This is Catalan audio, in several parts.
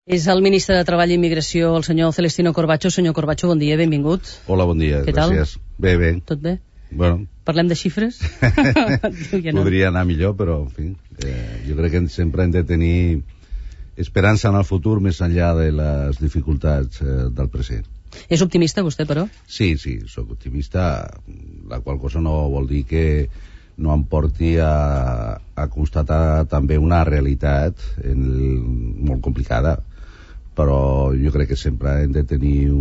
És el ministre de Treball i Immigració, el senyor Celestino Corbacho. Senyor Corbacho, bon dia, benvingut. Hola, bon dia, gràcies. Bé, bé. Tot bé? Bueno. Parlem de xifres? Podria anar millor, però, en fi, jo crec que sempre hem de tenir esperança en el futur més enllà de les dificultats del present. És optimista, vostè, però? Sí, sóc optimista, la qual cosa no vol dir que no em porti a constatar també una realitat molt complicada, però jo crec que sempre hem de tenir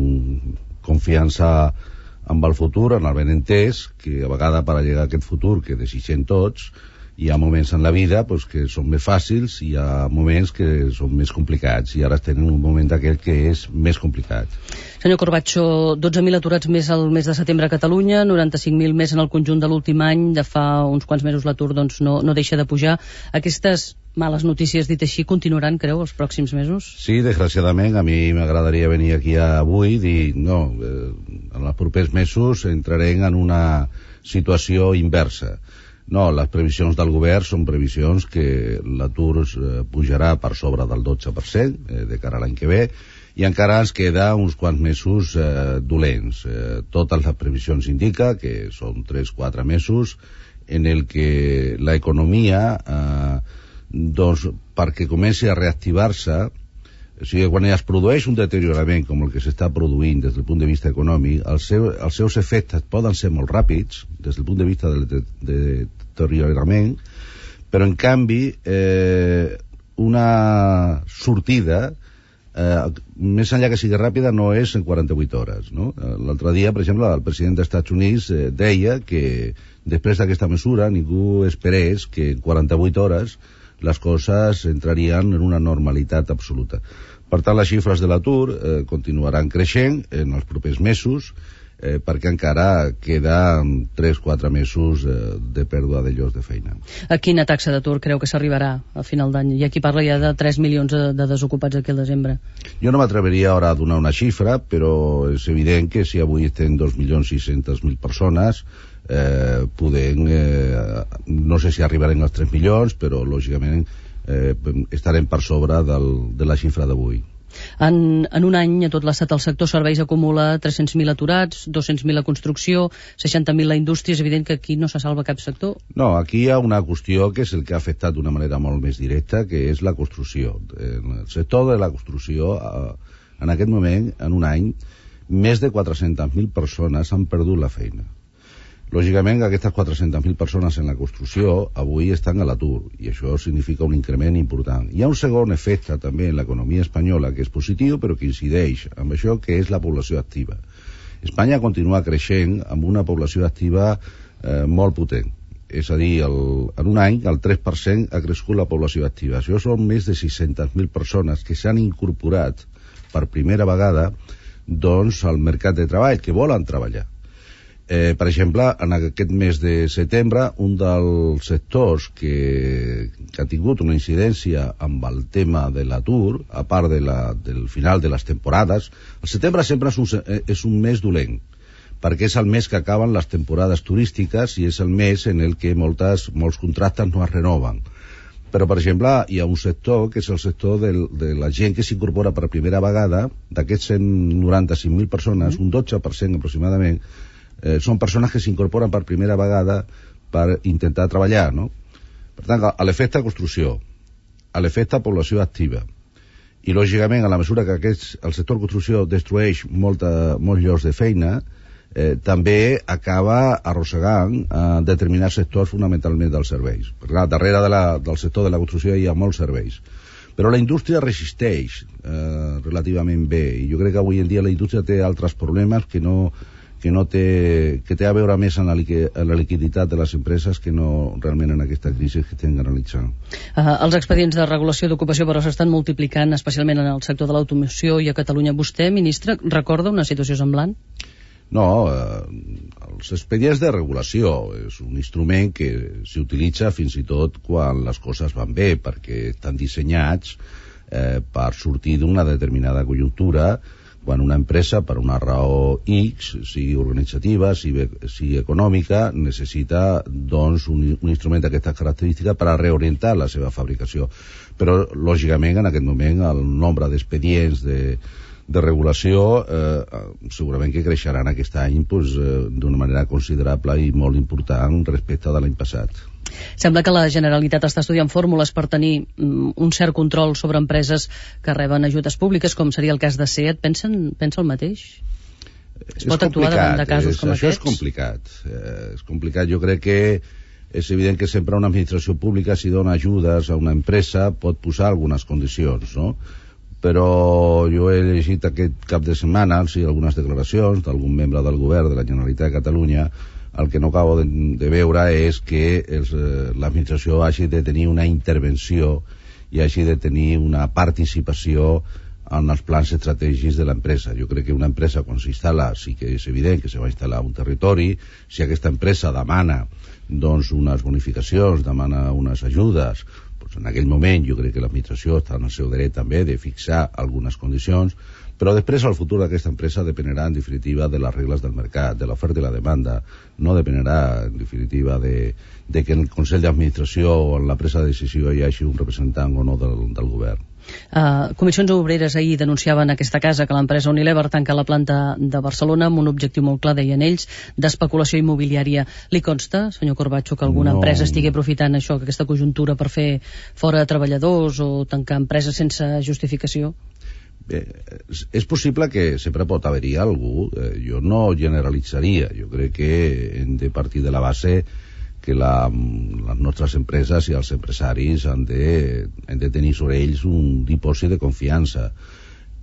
confiança en el futur, en el benentès, que a vegades per arribar a aquest futur que desitgem tots, hi ha moments en la vida que són més fàcils i hi ha moments que són més complicats, i ara estem en un moment d'aquell que és més complicat. Senyor Corbacho, 12.000 aturats més al mes de setembre a Catalunya, 95.000 més en el conjunt de l'últim any. De fa uns quants mesos l'atur no deixa de pujar. Aquestes males notícies, dit així, continuaran, creu, els pròxims mesos? Sí, desgraciadament. A mi m'agradaria venir aquí avui i dir no, en els propers mesos entrarem en una situació inversa. No, les previsions del govern són previsions que l'atur pujarà per sobre del 12% de cara a l'any que ve, i encara ens queda uns quants mesos dolents. Totes les previsions indica que són 3-4 mesos en el que l'economia, perquè comenci a reactivar-se, o sigui, quan es produeix un deteriorament com el que s'està produint des del punt de vista econòmic, els seus efectes poden ser molt ràpids des del punt de vista del deteriorament, però en canvi una sortida més enllà que sigui ràpida no és en 48 hores, no? L'altre dia, per exemple, el president dels Estats Units deia que després d'aquesta mesura ningú esperés que en 48 hores les coses entrarien en una normalitat absoluta. Per tant, les xifres de l'atur continuaran creixent en els propers mesos, perquè encara queden 3-4 mesos de pèrdua de llocs de feina. A quina taxa d'atur creu que s'arribarà a final d'any? Hi ha qui parla ja de 3 milions de desocupats aquí al desembre. Jo no m'atreveria ara a donar una xifra, però és evident que si avui estem 2.600.000 persones, no sé si arribarem als 3 milions, però lògicament estarem per sobre de la xifra d'avui. En un any a tot l'estat el sector serveis acumula 300.000 aturats, 200.000 a construcció, 60.000 a indústria. És evident que aquí no se salva cap sector. No, aquí hi ha una qüestió que és el que ha afectat d'una manera molt més directa, que és la construcció. En el sector de la construcció, en aquest moment, en un any, més de 400.000 persones han perdut la feina. Lògicament, aquestes 400.000 persones en la construcció avui estan a l'atur, i això significa un increment important. Hi ha un segon efecte també en l'economia espanyola que és positiu, però que incideix amb això, que és la població activa. Espanya continua creixent amb una població activa molt potent. És a dir, en un any el 3% ha crescut la població activa. Això són més de 600.000 persones que s'han incorporat per primera vegada al mercat de treball, que volen treballar. Per exemple, en aquest mes de setembre, un dels sectors que ha tingut una incidència amb el tema de l'atur, a part del final de les temporades, el setembre sempre és un mes dolent, perquè és el mes que acaben les temporades turístiques i és el mes en el que molts contractes no es renoven. Però, per exemple, hi ha un sector que és el sector de la gent que s'incorpora per primera vegada. D'aquests 195.000 persones, un 12% aproximadament, són persones que s'incorporen per primera vegada per intentar treballar, no? Per tant, a l'efecte construcció, a l'efecte població activa, i lògicament a la mesura que el sector construcció destrueix molts llocs de feina, també acaba arrossegant determinats sectors fonamentalment dels serveis. Perquè clar, darrere del sector de la construcció hi ha molts serveis, però la indústria resisteix relativament bé, i jo crec que avui en dia la indústria té altres problemes que té a veure més en la liquiditat de les empreses que no realment en aquesta crisi que estem analitzant. Els expedients de regulació d'ocupació però s'estan multiplicant, especialment en el sector de l'automoció i a Catalunya. Vostè, ministre, recorda una situació semblant? No, els expedients de regulació és un instrument que s'utilitza fins i tot quan les coses van bé, perquè estan dissenyats per sortir d'una determinada conjuntura quan una empresa, per una raó X, sigui organitzativa, sigui econòmica, necessita doncs, un instrument d'aquestes característiques per a reorientar la seva fabricació. Però, lògicament, en aquest moment, el nombre d'expedients de regulació segurament que creixeran aquest any d'una manera considerable i molt important respecte de l'any passat. Sembla que la Generalitat està estudiant fórmules per tenir un cert control sobre empreses que reben ajudes públiques, com seria el cas de SEAT. Pensa el mateix? Es pot actuar davant de casos com aquests? Això és complicat. Jo crec que és evident que sempre una administració pública, si dona ajudes a una empresa, pot posar algunes condicions, no? Però jo he llegit aquest cap de setmana algunes declaracions d'algun membre del govern de la Generalitat de Catalunya. El que no acabo de veure és que l'administració hagi de tenir una intervenció i hagi de tenir una participació en els plans estratègics de l'empresa. Jo crec que una empresa, quan s'instal·la, sí que és evident que se va instal·lar a un territori. Si aquesta empresa demana doncs, unes bonificacions, demana unes ajudes, doncs en aquell moment jo crec que l'administració està en el seu dret també de fixar algunes condicions, però després el futur d'aquesta empresa dependerà en definitiva de les regles del mercat, de l'oferta i la demanda. No dependerà en definitiva de que en el Consell d'Administració o en la presa de decisió hi hagi un representant o no del govern. Comissions Obreres ahir denunciaven aquesta casa que l'empresa Unilever tanca la planta de Barcelona amb un objectiu molt clar, deien ells, d'especulació immobiliària. Li consta, senyor Corbacho, que alguna empresa estigui aprofitant això, aquesta conjuntura per fer fora treballadors o tancar empreses sense justificació? Bé, és possible que sempre pot haver-hi algú. Jo no generalitzaria. Jo crec que hem de partir de la base que les nostres empreses i els empresaris han de tenir sobre ells un dipòsit de confiança.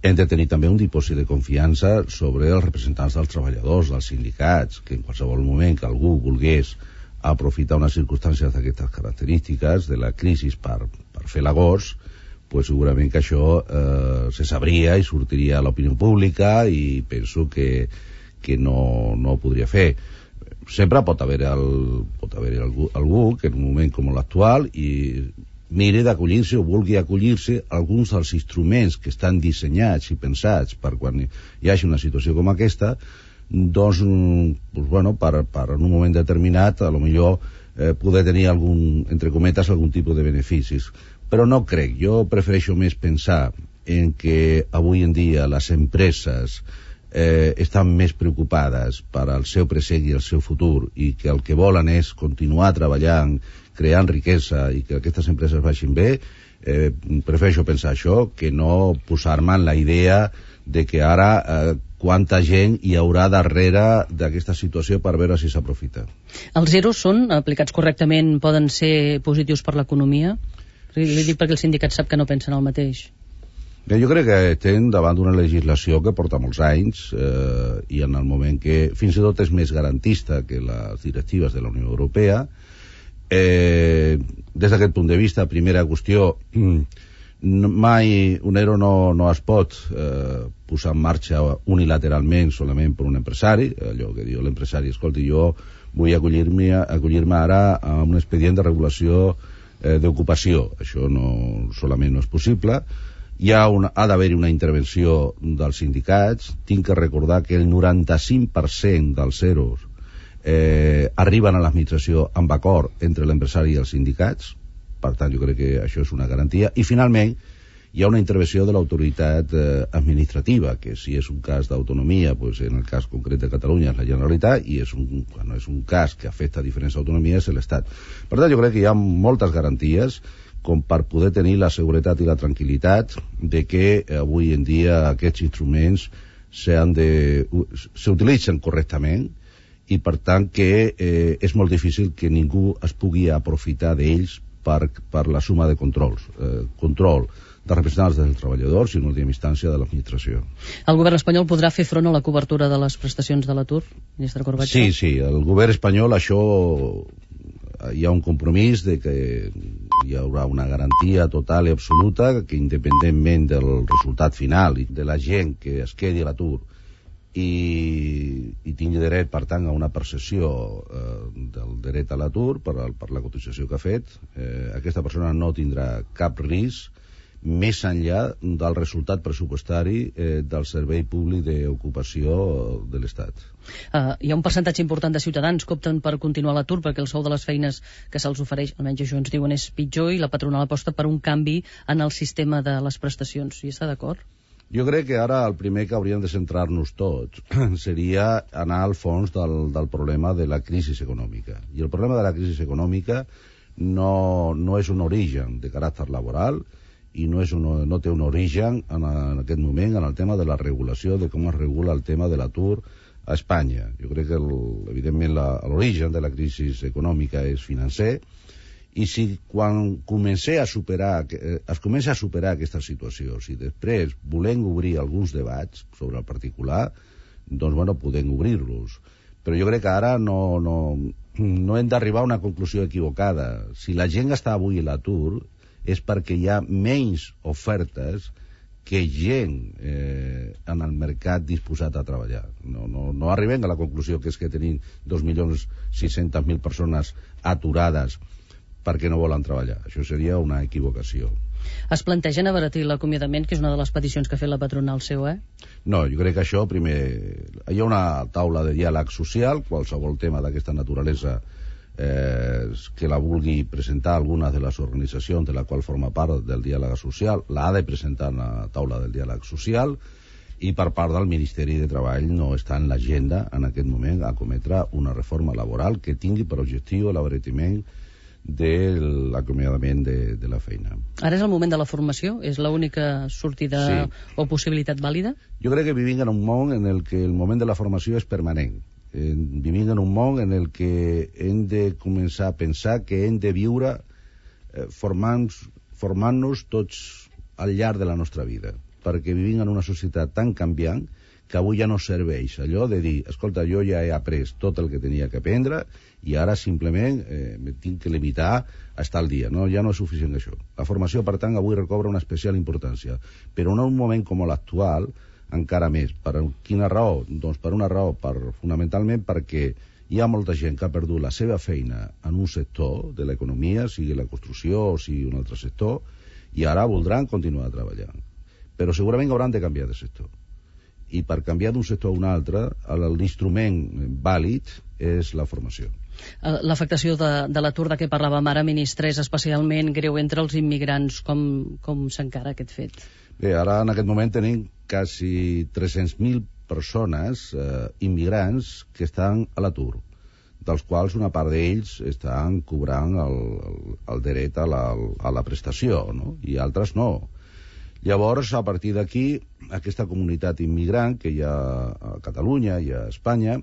Hem de tenir també un dipòsit de confiança sobre els representants dels treballadors, dels sindicats, que en qualsevol moment que algú volgués aprofitar unes circumstàncies d'aquestes característiques de la crisi per fer l'agost, pues segurament que això se sabria i sortiria a l'opinió pública, i penso que no ho podria fer. Sempre pot haver algú que en un moment com l'actual i miri d'acollir-se o vulgui acollir-se a alguns dels instruments que estan dissenyats i pensats per quan hi hagi una situació com aquesta, doncs, per en un moment determinat a lo millor poder tenir entre cometes algun tipus de beneficis. Però no crec. Jo prefereixo més pensar en que avui en dia les empreses estan més preocupades per al seu present i el seu futur, i que el que volen és continuar treballant, creant riquesa i que aquestes empreses vagin bé. Prefereixo pensar això que no posar-me en la idea de que ara quanta gent hi haurà darrere d'aquesta situació per veure si s'aprofita. Els zeros són aplicats correctament, poden ser positius per l'economia? Li dic perquè el sindicat sap que no pensen el mateix. Bé, jo crec que estem davant d'una legislació que porta molts anys i en el moment que fins i tot és més garantista que les directives de la Unió Europea. Des d'aquest punt de vista, primera qüestió, mai un ERO no es pot posar en marxa unilateralment solament per un empresari. Allò que diu l'empresari, escolti, jo vull acollir-me ara a un expedient de regulació d'ocupació. Això solament no és possible. Ha d'haver-hi una intervenció dels sindicats. Tinc que recordar que el 95% dels zeros arriben a l'administració amb acord entre l'empresari i els sindicats. Per tant, jo crec que això és una garantia. I finalment hi ha una intervenció de l'autoritat administrativa, que si és un cas d'autonomia, pues en el cas concret de Catalunya és la Generalitat, i quan és un cas que afecta a diferents autonomies és l'Estat. Per tant, jo crec que hi ha moltes garanties com per poder tenir la seguretat i la tranquil·litat de que avui en dia aquests instruments s'utilitzen correctament, i per tant que és molt difícil que ningú es pugui aprofitar d'ells per la suma de controls. Control de representants dels treballadors i en última instància de l'administració. El govern espanyol podrà fer front a la cobertura de les prestacions de l'atur, ministre Corbacho? Sí, el govern espanyol, això hi ha un compromís de que hi haurà una garantia total i absoluta que independentment del resultat final i de la gent que es quedi a l'atur i tingui dret, per tant, a una percepció del dret a l'atur per la cotització que ha fet, aquesta persona no tindrà cap risc més enllà del resultat pressupostari del Servei Públic d'Ocupació de l'Estat. Hi ha un percentatge important de ciutadans que opten per continuar l'atur perquè el sou de les feines que se'ls ofereix, almenys això ens diuen, és pitjor, i la patronal aposta per un canvi en el sistema de les prestacions. Hi està d'acord? Jo crec que ara el primer que hauríem de centrar-nos tots seria anar al fons del problema de la crisi econòmica. I el problema de la crisi econòmica no és un origen de caràcter laboral i no té un origen en aquest moment en el tema de la regulació, de com es regula el tema de l'atur a Espanya. Jo crec que, evidentment, l'origen de la crisi econòmica és financer, i si quan es comença a superar aquesta situació, si després volem obrir alguns debats sobre el particular, doncs, bueno, podem obrir-los. Però jo crec que ara no hem d'arribar a una conclusió equivocada. Si la gent està avui a l'atur és perquè hi ha menys ofertes que gent en el mercat disposat a treballar. No arribem a la conclusió que és que tenim 2.600.000 persones aturades perquè no volen treballar. Això seria una equivocació. Es plantegen abaratir l'acomiadament, que és una de les peticions que ha fet la patronal seu, No, jo crec que això, primer, hi ha una taula de diàleg social, qualsevol tema d'aquesta naturalesa que la vulgui presentar alguna de les organitzacions de la qual forma part del diàleg social, l'ha de presentar en la taula del diàleg social, i per part del Ministeri de Treball no està en l'agenda en aquest moment a cometre una reforma laboral que tingui per objectiu l'abaratiment de l'acomiadament de la feina. Ara és el moment de la formació? És l'única sortida o possibilitat vàlida? Jo crec que vivim en un món en el que el moment de la formació és permanent. Vivim en un món en el que hem de començar a pensar que hem de viure formant-nos tots al llarg de la nostra vida, perquè vivim en una societat tan canviant que avui ja no serveix allò de dir, escolta, jo ja he après tot el que tenia que aprendre i ara simplement me tinc que limitar a estar al dia. No, ja no és suficient això. La formació, per tant, avui recobra una especial importància, però en un moment com l'actual, encara més. Per quina raó? Doncs per una raó, fonamentalment perquè hi ha molta gent que ha perdut la seva feina en un sector de l'economia, sigui la construcció o sigui un altre sector, i ara voldran continuar treballant. Però segurament hauran de canviar de sector. I per canviar d'un sector a un altre, l'instrument vàlid és la formació. L'afectació de l'atur de què parlàvem ara, ministre, és especialment greu entre els immigrants. Com s'encara aquest fet? Bé, ara en aquest moment tenim quasi 300.000 persones immigrants que estan a l'atur, dels quals una part d'ells estan cobrant el dret a la prestació, no? I altres no. Llavors, a partir d'aquí, aquesta comunitat immigrant que hi ha a Catalunya i a Espanya,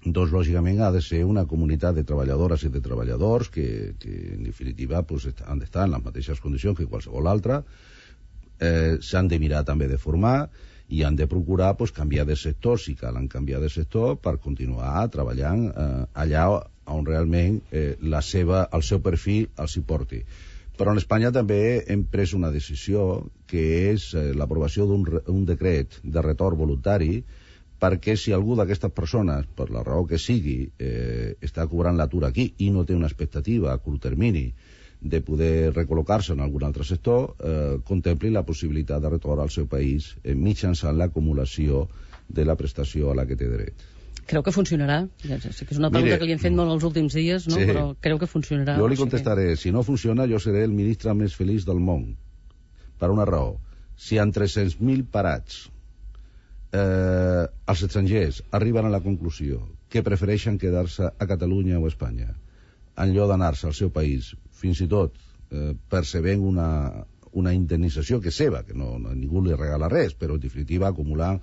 doncs lògicament ha de ser una comunitat de treballadores i de treballadors que en definitiva pues, han d'estar en les mateixes condicions que qualsevol altra, s'han de mirar també de formar i han de procurar pues, canviar de sector, si calen canviar de sector, per continuar treballant allà on realment el seu perfil els hi porti. Però en Espanya també hem pres una decisió que és l'aprovació d'un decret de retorn voluntari, perquè si algú d'aquestes persones, per la raó que sigui, està cobrant l'atur aquí i no té una expectativa a curt termini de poder recol·locar-se en algun altre sector, contempli la possibilitat de retorn al seu país mitjançant l'acumulació de la prestació a la que té dret. Creu que funcionarà? Sé que és una pregunta que li hem fet molt els últims dies, no? Sí. Però creu que funcionarà? Jo li contestaré, si no funciona, jo seré el ministre més feliç del món. Per una raó. Si en 300.000 parats els estrangers arriben a la conclusió que prefereixen quedar-se a Catalunya o a Espanya en lloc d'anar-se al seu país, fins i tot percebent una indemnització que és seva, que ningú li regala res, però en definitiva acumulant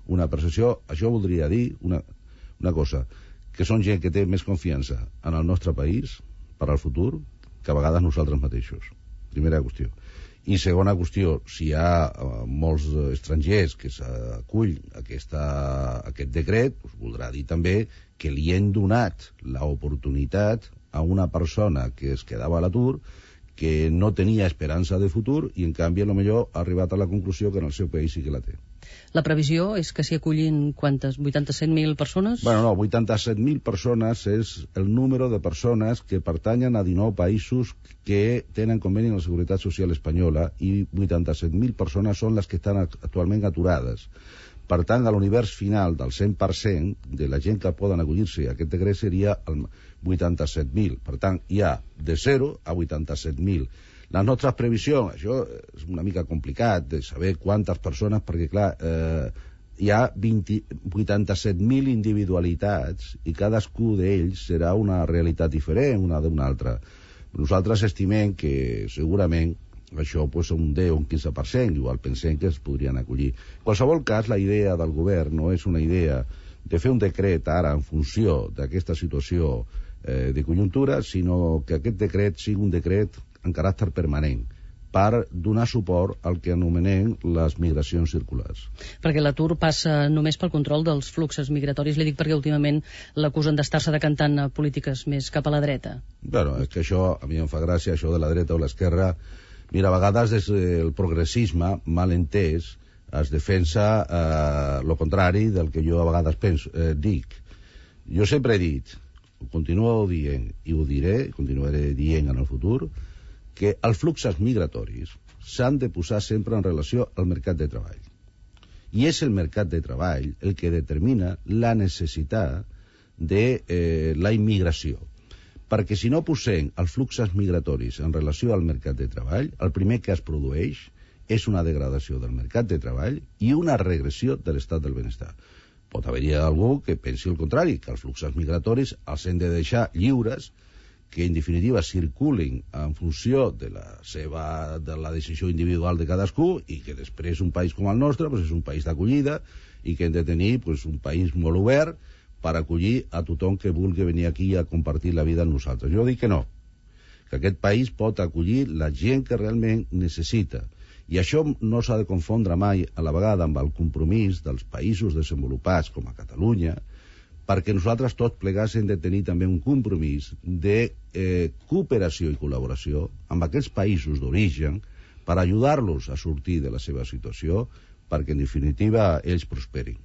una percepció, això voldria dir una cosa, que són gent que té més confiança en el nostre país per al futur que a vegades nosaltres mateixos. Primera qüestió. I segona qüestió, si hi ha molts estrangers que s'acull aquest decret, doncs voldrà dir també que li hem donat l'oportunitat a una persona que es quedava a l'atur que no tenia esperança de futur i en canvi potser ha arribat a la conclusió que en el seu país sí que la té. La previsió és que s'hi acullin quantes? 87.000 persones? Bueno, no, 87.000 persones és el número de persones que pertanyen a 19 països que tenen conveni amb la Seguretat Social Espanyola i 87.000 persones són les que estan actualment aturades. Per tant, a l'univers final del 100% de la gent que poden acollir-se a aquest decret seria el 87.000. Per tant, hi ha de 0 a 87.000. Les nostres previsions, això és una mica complicat de saber quantes persones, perquè clar, hi ha 87.000 individualitats i cadascú d'ells serà una realitat diferent una d'una altra. Nosaltres estimem que segurament això pues, un 10 o un 15%, igual pensem que es podrien acollir. En qualsevol cas, la idea del govern no és una idea de fer un decret ara en funció d'aquesta situació de conjuntura, sinó que aquest decret sigui un decret en caràcter permanent per donar suport al que anomenem les migracions circulars. Perquè l'atur passa només pel control dels fluxos migratoris. Li dic perquè últimament l'acusen d'estar-se decantant a polítiques més cap a la dreta. Bueno, és que això, a mi em fa gràcia, això de la dreta o l'esquerra. Mira, a vegades des del progressisme, mal entès, es defensa lo contrari del que jo a vegades dic. Jo sempre he dit, ho continuo dient i ho diré, continuaré dient en el futur, que els fluxos migratoris s'han de posar sempre en relació al mercat de treball. I és el mercat de treball el que determina la necessitat de la immigració. Perquè si no posem els fluxos migratoris en relació al mercat de treball, el primer que es produeix és una degradació del mercat de treball i una regressió de l'estat del benestar. Pot haver-hi algú que pensi el contrari, que els fluxos migratoris els hem de deixar lliures, que en definitiva circulin en funció de la decisió individual de cadascú i que després un país com el nostre pues, és un país d'acollida i que hem de tenir pues, un país molt obert per acollir a tothom que vulgui venir aquí a compartir la vida amb nosaltres. Jo dic que no, que aquest país pot acollir la gent que realment necessita. I això no s'ha de confondre mai a la vegada amb el compromís dels països desenvolupats com a Catalunya, perquè nosaltres tots plegats hem de tenir també un compromís de cooperació i col·laboració amb aquests països d'origen per ajudar-los a sortir de la seva situació perquè en definitiva ells prosperin.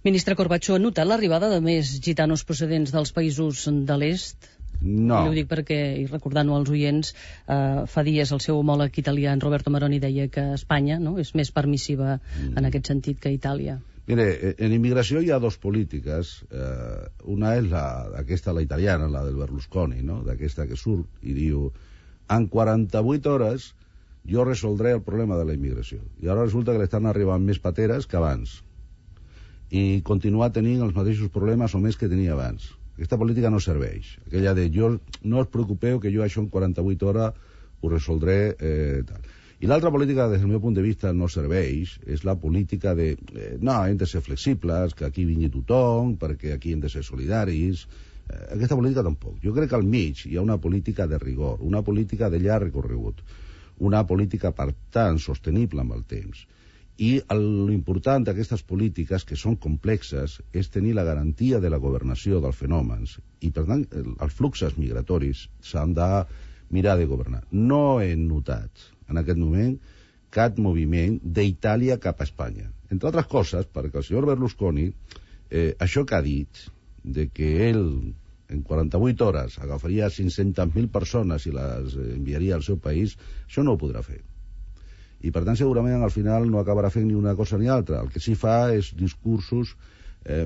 Ministre Corbacho, ha notat l'arribada de més gitanos procedents dels països de l'est? No. I ho dic perquè, i recordant-ho als oients, fa dies el seu homòleg italià, en Roberto Maroni, deia que Espanya és més permissiva en aquest sentit que Itàlia. Mire, en immigració hi ha dos polítiques. Una és aquesta, la italiana, la del Berlusconi, no? D'aquesta que surt i diu en 48 hores jo resoldré el problema de la immigració. I ara resulta que l'estan arribant més pateres que abans. I continua tenint els mateixos problemes o més que tenia abans. Aquesta política no serveix. Aquella de no us preocupeu que jo això en 48 hores ho resoldré tal. I l'altra política, des del meu punt de vista, no serveix, és la política de no, hem de ser flexibles, que aquí vingui tothom, perquè aquí hem de ser solidaris. Aquesta política tampoc. Jo crec que al mig hi ha una política de rigor, una política de llarg recorregut, una política, per tant, sostenible amb el temps. I l'important d'aquestes polítiques, que són complexes, és tenir la garantia de la governació dels fenòmens. I, per tant, els fluxos migratoris s'han de mirar de governar. No he notat en aquest moment cap moviment d'Itàlia cap a Espanya. Entre altres coses, perquè el senyor Berlusconi, això que ha dit, de que ell en 48 hores agafaria 500.000 persones i les enviaria al seu país, això no ho podrà fer. I per tant segurament al final no acabarà fent ni una cosa ni altra. El que sí fa és discursos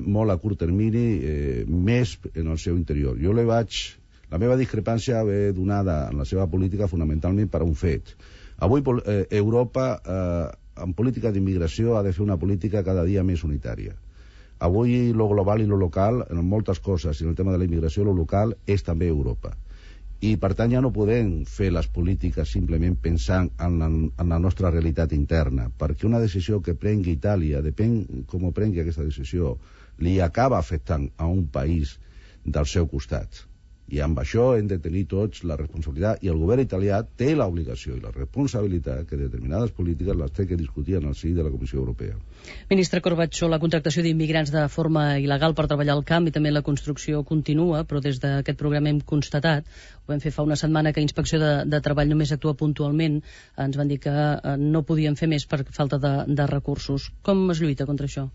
molt a curt termini, més en el seu interior. La meva discrepància ve donada en la seva política fonamentalment per un fet. Avui Europa en política d'immigració ha de fer una política cada dia més unitària. Avui lo global i lo local, en moltes coses, i en el tema de la immigració, lo local és també Europa. I per tant ja no podem fer les polítiques simplement pensant en la nostra realitat interna, perquè una decisió que prengui Itàlia, depèn com ho prengui aquesta decisió, li acaba afectant a un país del seu costat. I amb això hem de tenir tots la responsabilitat, i el govern italià té l'obligació i la responsabilitat que determinades polítiques les té que discutir en el si de la Comissió Europea. Ministre Corbacho, la contractació d'immigrants de forma il·legal per treballar al camp i també la construcció continua, però des d'aquest programa hem constatat, ho vam fer fa una setmana, que Inspecció de Treball només actua puntualment. Ens van dir que no podien fer més per falta de recursos. Com es lluita contra això?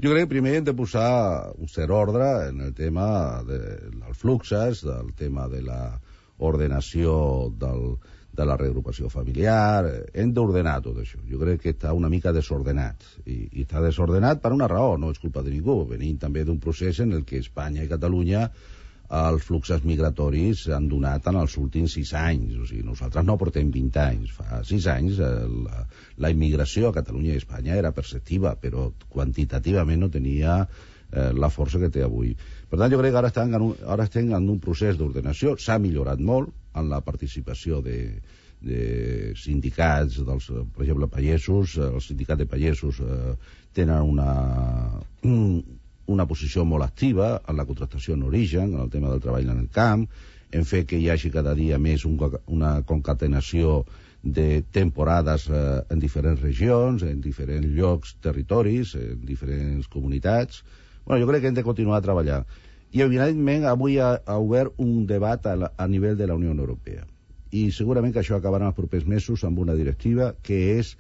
Jo crec que primer hem de posar un cert ordre en el tema dels fluxes, del tema de l'ordenació de la reagrupació familiar. Hem d'ordenar tot això. Jo crec que està una mica desordenat. I està desordenat per una raó, no és culpa de ningú. Venim també d'un procés en el que Espanya i Catalunya els fluxos migratoris s'han donat en els últims 6 anys. O sigui, nosaltres no portem 20 anys. Fa 6 anys la immigració a Catalunya i Espanya era perceptiva, però quantitativament no tenia la força que té avui. Per tant, jo crec que ara estem en un procés d'ordenació. S'ha millorat molt en la participació de sindicats, per exemple, pagesos. Els sindicats de pagesos tenen una posició molt activa en la contractació en origen, en el tema del treball en el camp, en fet que hi hagi cada dia més una concatenació de temporades en diferents regions, en diferents llocs, territoris, en diferents comunitats. Jo crec que hem de continuar a treballar. I, evidentment, avui ha obert un debat a nivell de la Unió Europea. I segurament que això acabarà en els propers mesos amb una directiva que és...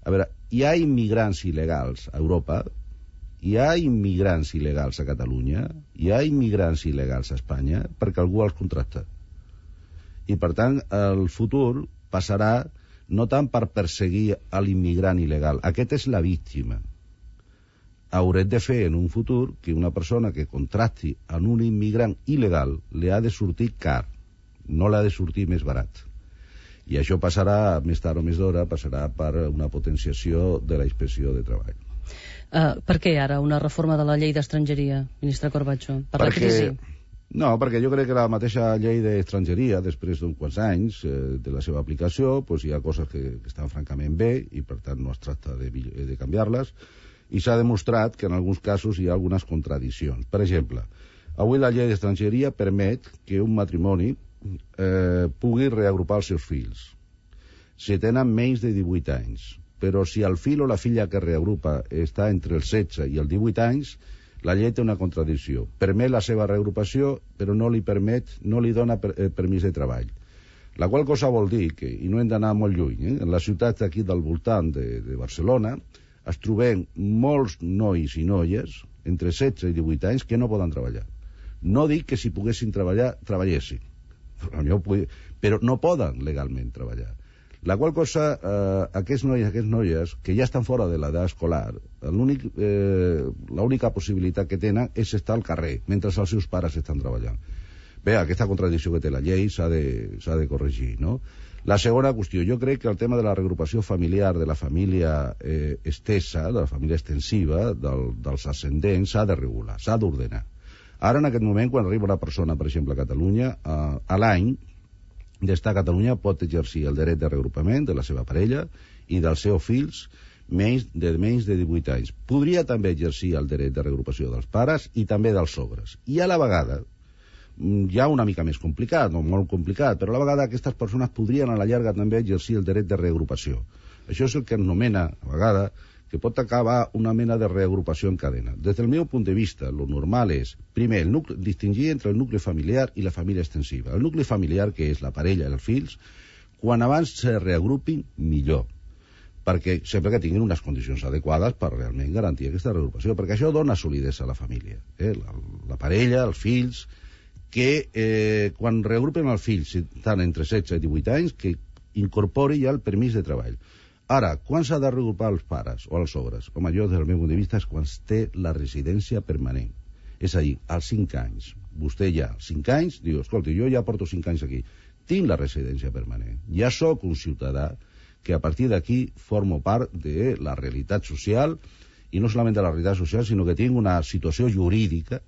A veure, hi ha immigrants il·legals a Europa, hi ha immigrants il·legals a Catalunya, hi ha immigrants il·legals a Espanya, perquè algú els contracta. I, per tant, el futur passarà no tant per perseguir a l'immigrant il·legal. Aquest és la víctima. Haurem de fer en un futur que una persona que contracti en un immigrant il·legal li ha de sortir car, no l'ha de sortir més barat. I això passarà, més tard o més d'hora, passarà per una potenciació de la inspecció de treball. Per què ara una reforma de la llei d'estrangeria, ministre Corbacho? Per la crisi? No, perquè jo crec que la mateixa llei d'estrangeria, després d'uns quants anys de la seva aplicació, doncs hi ha coses que estan francament bé i per tant no es tracta de canviar-les, i s'ha demostrat que en alguns casos hi ha algunes contradiccions. Per exemple, avui la llei d'estrangeria permet que un matrimoni pugui reagrupar els seus fills si tenen menys de 18 anys. Però si el fill o la filla que reagrupa està entre els 16 i els 18 anys, la llei té una contradicció. Permet la seva reagrupació, però no li dona permís de treball. La qual cosa vol dir que, i no hem d'anar molt lluny, en les ciutats d'aquí del voltant de Barcelona es trobem molts nois i noies entre 16 i 18 anys que no poden treballar. No dic que si poguessin treballar, treballessin, però no poden legalment treballar. La qual cosa, aquests nois i aquestes noies que ja estan fora de l'edat escolar, l'única possibilitat que tenen és estar al carrer mentre els seus pares estan treballant. Bé, aquesta contradicció que té la llei s'ha de corregir, no? La segona qüestió, jo crec que el tema de la reagrupació familiar, de la família estesa, de la família extensiva, dels ascendents, s'ha de regular, s'ha d'ordenar. Ara, en aquest moment, quan arriba una persona, per exemple, a Catalunya, a l'any, d'estar a Catalunya pot exercir el dret de reagrupament de la seva parella i dels seus fills menys de 18 anys. Podria també exercir el dret de reagrupació dels pares i també dels sogres. I a la vegada, ja una mica més complicat, no molt complicat, però a la vegada aquestes persones podrien a la llarga també exercir el dret de reagrupació. Això és el que anomena, a vegada, que pot acabar una mena de reagrupació en cadena. Des del meu punt de vista, el normal és, primer, distingir entre el nucli familiar i la família extensiva. El nucli familiar, que és la parella i els fills, quan abans se reagrupin, millor. Perquè sempre que tinguin unes condicions adequades per realment garantir aquesta reagrupació, perquè això dona solidesa a la família. La parella, els fills, que quan reagrupen els fills, si estan entre 16 i 18 anys, que incorpori ja el permís de treball. Ara, quan s'ha de reagrupar els pares o els sogres? Home, jo, des del meu punt de vista, és quan té la residència permanent. És a dir, als 5 anys. Vostè ja, als 5 anys, diu, escolta, jo ja porto 5 anys aquí. Tinc la residència permanent. Ja sóc un ciutadà que a partir d'aquí formo part de la realitat social, i no solament de la realitat social, sinó que tinc una situació jurídica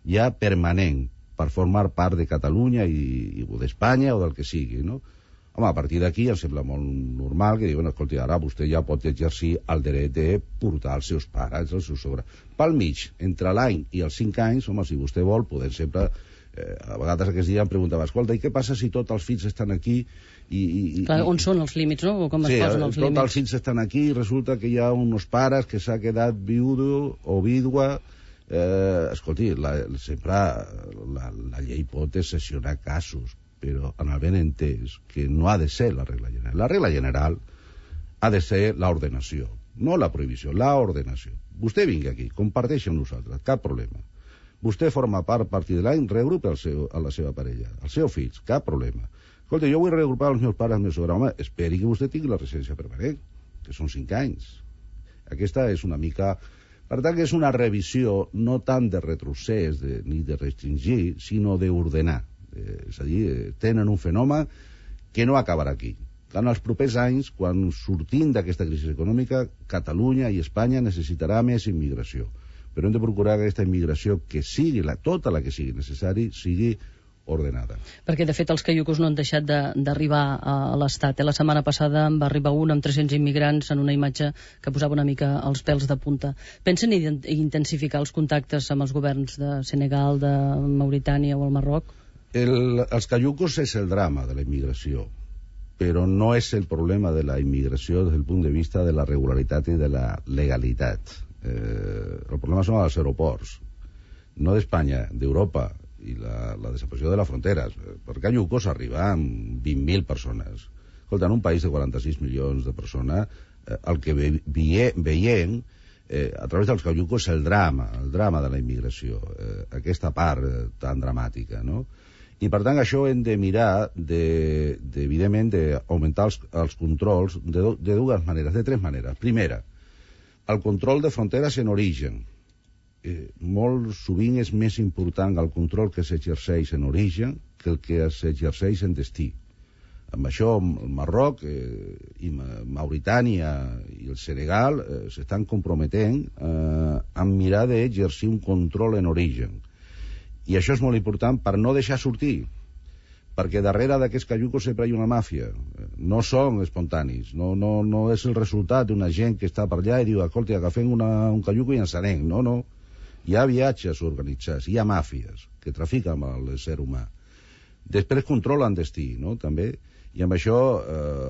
ja permanent per formar part de Catalunya o d'Espanya o del que sigui, no? Home, a partir d'aquí em sembla molt normal que diuen, escolta, ara vostè ja pot exercir el dret de portar els seus pares, els seus sogres. Pel mig, entre l'any i els 5 anys, home, si vostè vol, podem sempre A vegades aquest dia em preguntava, escolta, i què passa si tots els fills estan aquí Clar, on són els límits, no? Com es posen els límits? Tots els fills estan aquí i resulta que hi ha uns pares que s'ha quedat viudo o vídua. Escolti, sempre la llei pot excepcionar casos, però en el ben entès que no ha de ser la regla general. La regla general ha de ser l'ordenació, no la prohibició, l'ordenació. Vostè vingui aquí, comparteixi amb nosaltres, cap problema. Vostè forma part, a partir de l'any, regrupa a la seva parella, als seus fills, cap problema. Escolta, jo vull regrupar els meus pares, els meus sogres. Home, esperi que vostè tingui la residència permanent, que són 5 anys. Aquesta és una mica... Per tant, que és una revisió no tant de retrocés ni de restringir, sinó d'ordenar. És a dir, tenen un fenomen que no acabarà aquí. En els propers anys, quan sortim d'aquesta crisi econòmica, Catalunya i Espanya necessitarà més immigració. Però hem de procurar que aquesta immigració, que sigui tota la que sigui necessari, sigui ordenada. Perquè, de fet, els caiucos no han deixat d'arribar a l'Estat. La setmana passada en va arribar un amb 300 immigrants en una imatge que posava una mica els pèls de punta. Pensen intensificar els contactes amb els governs de Senegal, de Mauritània o el Marroc? Els caiucos és el drama de la immigració, però no és el problema de la immigració des del punt de vista de la regularitat i de la legalitat. El problema són els aeroports, no d'Espanya, d'Europa, i la desaparició de les fronteres. Per caiucos arriba amb 20.000 persones. Escolta, en un país de 46 milions de persones, el que veiem a través dels caiucos és el drama de la immigració, aquesta part tan dramàtica, no? I per tant això hem de mirar evidentment d'augmentar els controls de dues maneres, de 3 maneres. Primera, el control de fronteres en origen. Molt sovint és més important el control que s'exerceix en origen que el que s'exerceix en destí. Amb això el Marroc i Mauritània i el Senegal s'estan comprometent a mirar d'exercir un control en origen. I això és molt important per no deixar sortir, perquè darrere d'aquests caiucos sempre hi ha una màfia. No són espontanis, no és el resultat d'una gent que està per allà i diu, escolta, agafem un caiuco i ens anem. No. Hi ha viatges organitzats, hi ha màfies que trafiquen amb l'ésser humà. Després controlen destí, no?, també. I amb això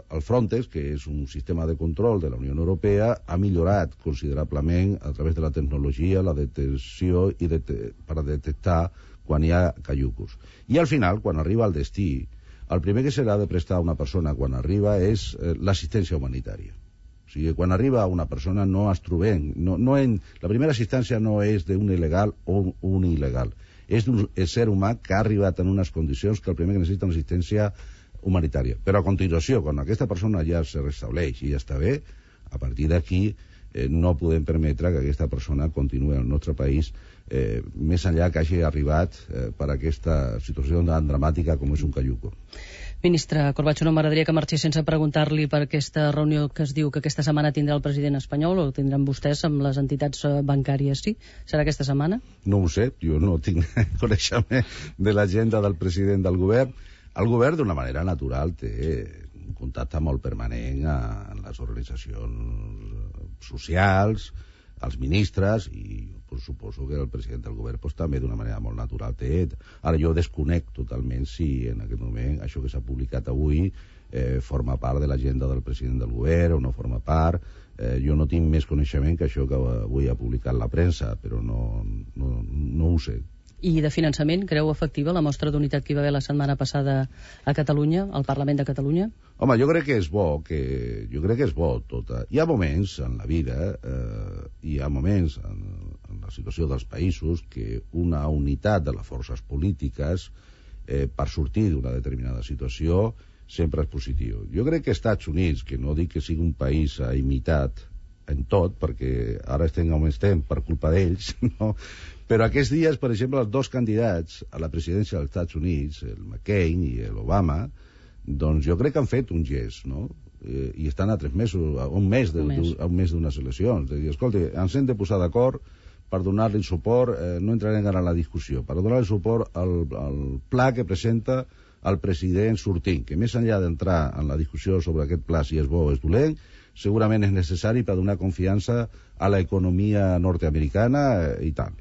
el Frontex, que és un sistema de control de la Unió Europea, ha millorat considerablement a través de la tecnologia, la detecció per detectar quan hi ha caiucos. I al final, quan arriba al destí, el primer que s'ha de prestar a una persona quan arriba és l'assistència humanitària. O sigui, quan arriba una persona no es trobem, la primera assistència no és d'un il·legal o un il·legal, és d'un ser humà que ha arribat en unes condicions que el primer que necessita una assistència humanitària. Però a continuació, quan aquesta persona ja se restableix i ja està bé, a partir d'aquí no podem permetre que aquesta persona continuï al nostre país més enllà que hagi arribat per aquesta situació tan dramàtica com és un caiuco. Ministre Corbacho, no m'agradaria que marxés sense preguntar-li per aquesta reunió que es diu que aquesta setmana tindrà el president espanyol, o tindran vostès amb les entitats bancàries, sí? Serà aquesta setmana? No ho sé, jo no tinc coneixement de l'agenda del president del govern. El govern, d'una manera natural, té un contacte molt permanent amb les organitzacions socials, els ministres, i suposo que el president del govern també d'una manera molt natural té. Ara jo desconec totalment si en aquest moment això que s'ha publicat avui forma part de l'agenda del president del govern o no forma part. Jo no tinc més coneixement que això que avui ha publicat la premsa, però no ho sé. I de finançament, creu efectiva la mostra d'unitat que hi va haver la setmana passada a Catalunya, al Parlament de Catalunya? Home, jo crec que és bo tot. Hi ha moments en la vida, hi ha moments en la situació dels països que una unitat de les forces polítiques per sortir d'una determinada situació sempre és positiu. Jo crec que Estats Units, que no dic que sigui un país imitat en tot, perquè ara estem on estem per culpa d'ells, no? Però aquests dies, per exemple, els 2 candidats a la presidència dels Estats Units, el McCain i l'Obama, doncs jo crec que han fet un gest, no? I estan a 3 mesos, a un mes d'unes eleccions. De dir, escolta, ens hem de posar d'acord per donar-li suport, no entrarem ara en la discussió, per donar-li suport al pla que presenta el president sortint, que més enllà d'entrar en la discussió sobre aquest pla, si és bo o és dolent, segurament és necessari per donar confiança a l'economia nord-americana i tal.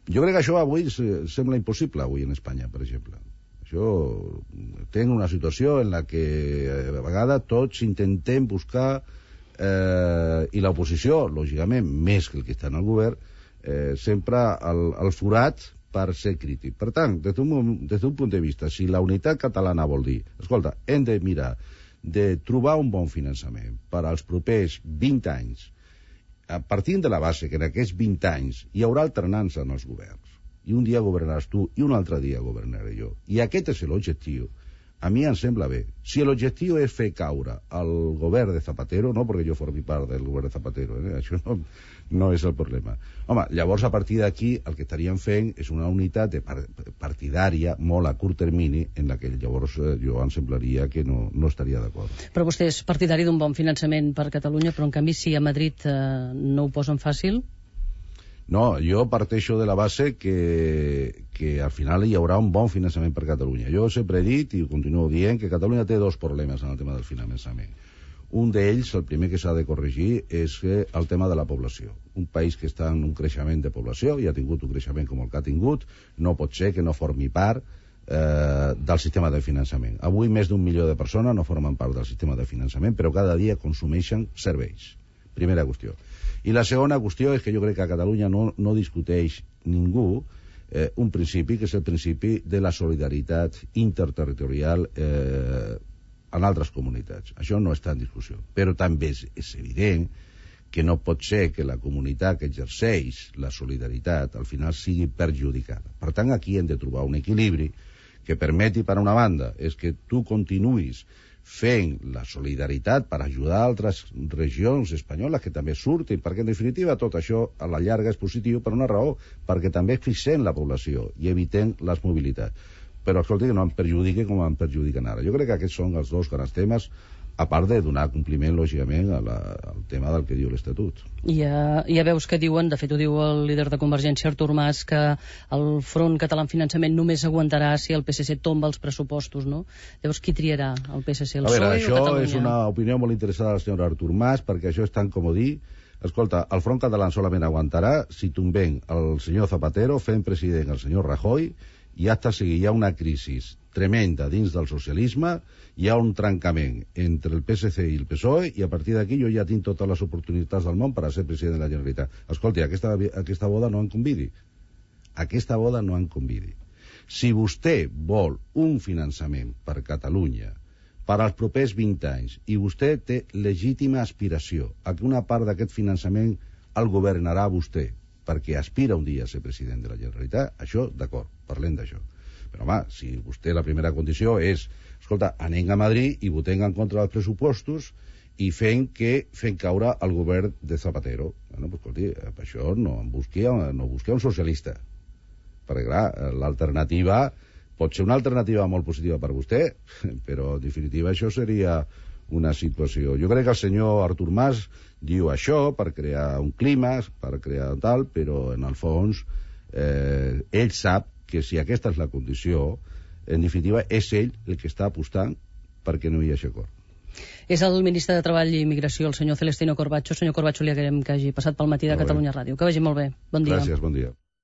Jo crec que això avui sembla impossible, avui en Espanya, per exemple. Això tenc una situació en la que a vegades tots intentem buscar i l'oposició, lògicament, més que el que està en el govern, sempre el forat per ser crític. Per tant, des d'un punt de vista, si la unitat catalana vol dir, escolta, hem de mirar de trobar un bon finançament per als propers 20 anys, partint de la base que en aquests 20 anys hi haurà alternança en els governs, i un dia governaràs tu i un altre dia governaré jo, i aquest és l'objectiu, a mi em sembla bé. Si l'objectiu és fer caure el govern de Zapatero, no perquè jo formi part del govern de Zapatero, això no és el problema. Home, llavors a partir d'aquí el que estaríem fent és una unitat partidària molt a curt termini en la que llavors jo em semblaria que no estaria d'acord. Però vostè és partidari d'un bon finançament per Catalunya, però en canvi si a Madrid no ho posen fàcil? No, jo parteixo de la base que al final hi haurà un bon finançament per Catalunya. Jo sempre he dit i continuo dient que Catalunya té dos problemes en el tema del finançament. Un d'ells, el primer que s'ha de corregir, és el tema de la població. Un país que està en un creixement de població, i ha tingut un creixement com el que ha tingut, no pot ser que no formi part del sistema de finançament. Avui més d'1 milió de persones no formen part del sistema de finançament, però cada dia consumeixen serveis. Primera qüestió. I la segona qüestió és que jo crec que a Catalunya no discuteix ningú un principi, que és el principi de la solidaritat interterritorial en altres comunitats. Això no està en discussió. Però també és evident que no pot ser que la comunitat que exerceix la solidaritat al final sigui perjudicada. Per tant, aquí hem de trobar un equilibri que permeti, per una banda, és que tu continuïs fent la solidaritat per ajudar altres regions espanyoles que també surtin, perquè en definitiva tot això a la llarga és positiu per una raó, perquè també fixem la població i evitem les mobilitats. Però escolta, que no em perjudiqui com em perjudiquen ara. Jo crec que aquests són els dos grans temes, a part de donar compliment, lògicament, al tema del que diu l'Estatut. Ja veus que diuen, de fet ho diu el líder de Convergència, Artur Mas, que el Front Català en Finançament només aguantarà si el PSC tomba els pressupostos, no? Llavors, qui triarà? El PSC, el PSOE o Catalunya? Això és una opinió molt interessada del senyor Artur Mas, perquè això és tan com dir. Escolta, el Front Català solament aguantarà si tombem el senyor Zapatero fent president el senyor Rajoy, i hasta si hi ha una crisi tremenda dins del socialisme, hi ha un trencament entre el PSC i el PSOE, i a partir d'aquí jo ja tinc totes les oportunitats del món per a ser president de la Generalitat. Escolti, aquesta boda no em convidi. Aquesta boda no em convidi. Si vostè vol un finançament per Catalunya per als propers 20 anys, i vostè té legítima aspiració a que una part d'aquest finançament el governarà vostè, perquè aspira un dia a ser president de la Generalitat, això, d'acord, parlem d'això. Però, home, si vostè la primera condició és, escolta, anem a Madrid i votem en contra dels pressupostos i fent caure el govern de Zapatero. Bueno, pues, escolti, per això no busqui un socialista. Perquè, clar, l'alternativa pot ser una alternativa molt positiva per vostè, però, en definitiva, això seria una situació. Jo crec que el senyor Artur Mas diu això per crear un clima, per crear tal, però en el fons ell sap que si aquesta és la condició, en definitiva és ell el que està apostant perquè no hi hagi acord. És el ministre de Treball i Immigració, el senyor Celestino Corbacho. Senyor Corbacho, li agraïm que hagi passat pel matí de Catalunya Ràdio. Que vagi molt bé. Bon dia. Gràcies, bon dia.